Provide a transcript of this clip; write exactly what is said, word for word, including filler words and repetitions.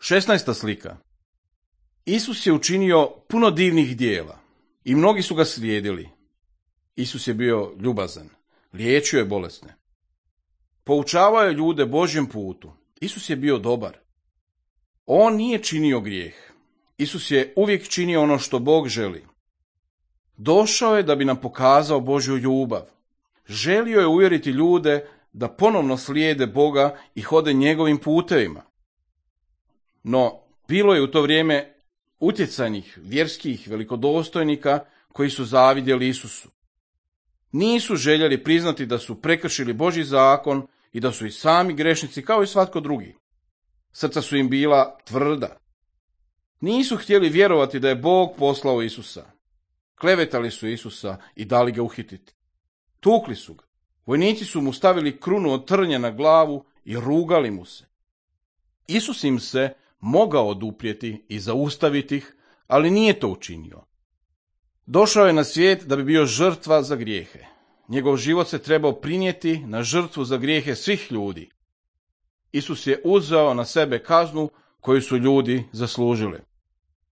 Šesnaesta slika. Isus je učinio puno divnih dijela i mnogi su ga slijedili. Isus je bio ljubazan, liječio je bolesne. Poučavao je ljude Božjem putu. Isus je bio dobar. On nije činio grijeh. Isus je uvijek činio ono što Bog želi. Došao je da bi nam pokazao Božju ljubav. Želio je uvjeriti ljude da ponovno slijede Boga i hode njegovim putevima. No, bilo je u to vrijeme utjecajnih, vjerskih, velikodostojnika koji su zavidjeli Isusu. Nisu željeli priznati da su prekršili Božji zakon i da su i sami grešnici kao i svatko drugi. Srca su im bila tvrda. Nisu htjeli vjerovati da je Bog poslao Isusa. Klevetali su Isusa i dali ga uhititi. Tukli su ga. Vojnici su mu stavili krunu od trnja na glavu i rugali mu se. Isus im se mogao oduprijeti i zaustaviti ih, ali nije to učinio. Došao je na svijet da bi bio žrtva za grijehe. Njegov život se trebao prinijeti na žrtvu za grijehe svih ljudi. Isus je uzeo na sebe kaznu koju su ljudi zaslužili.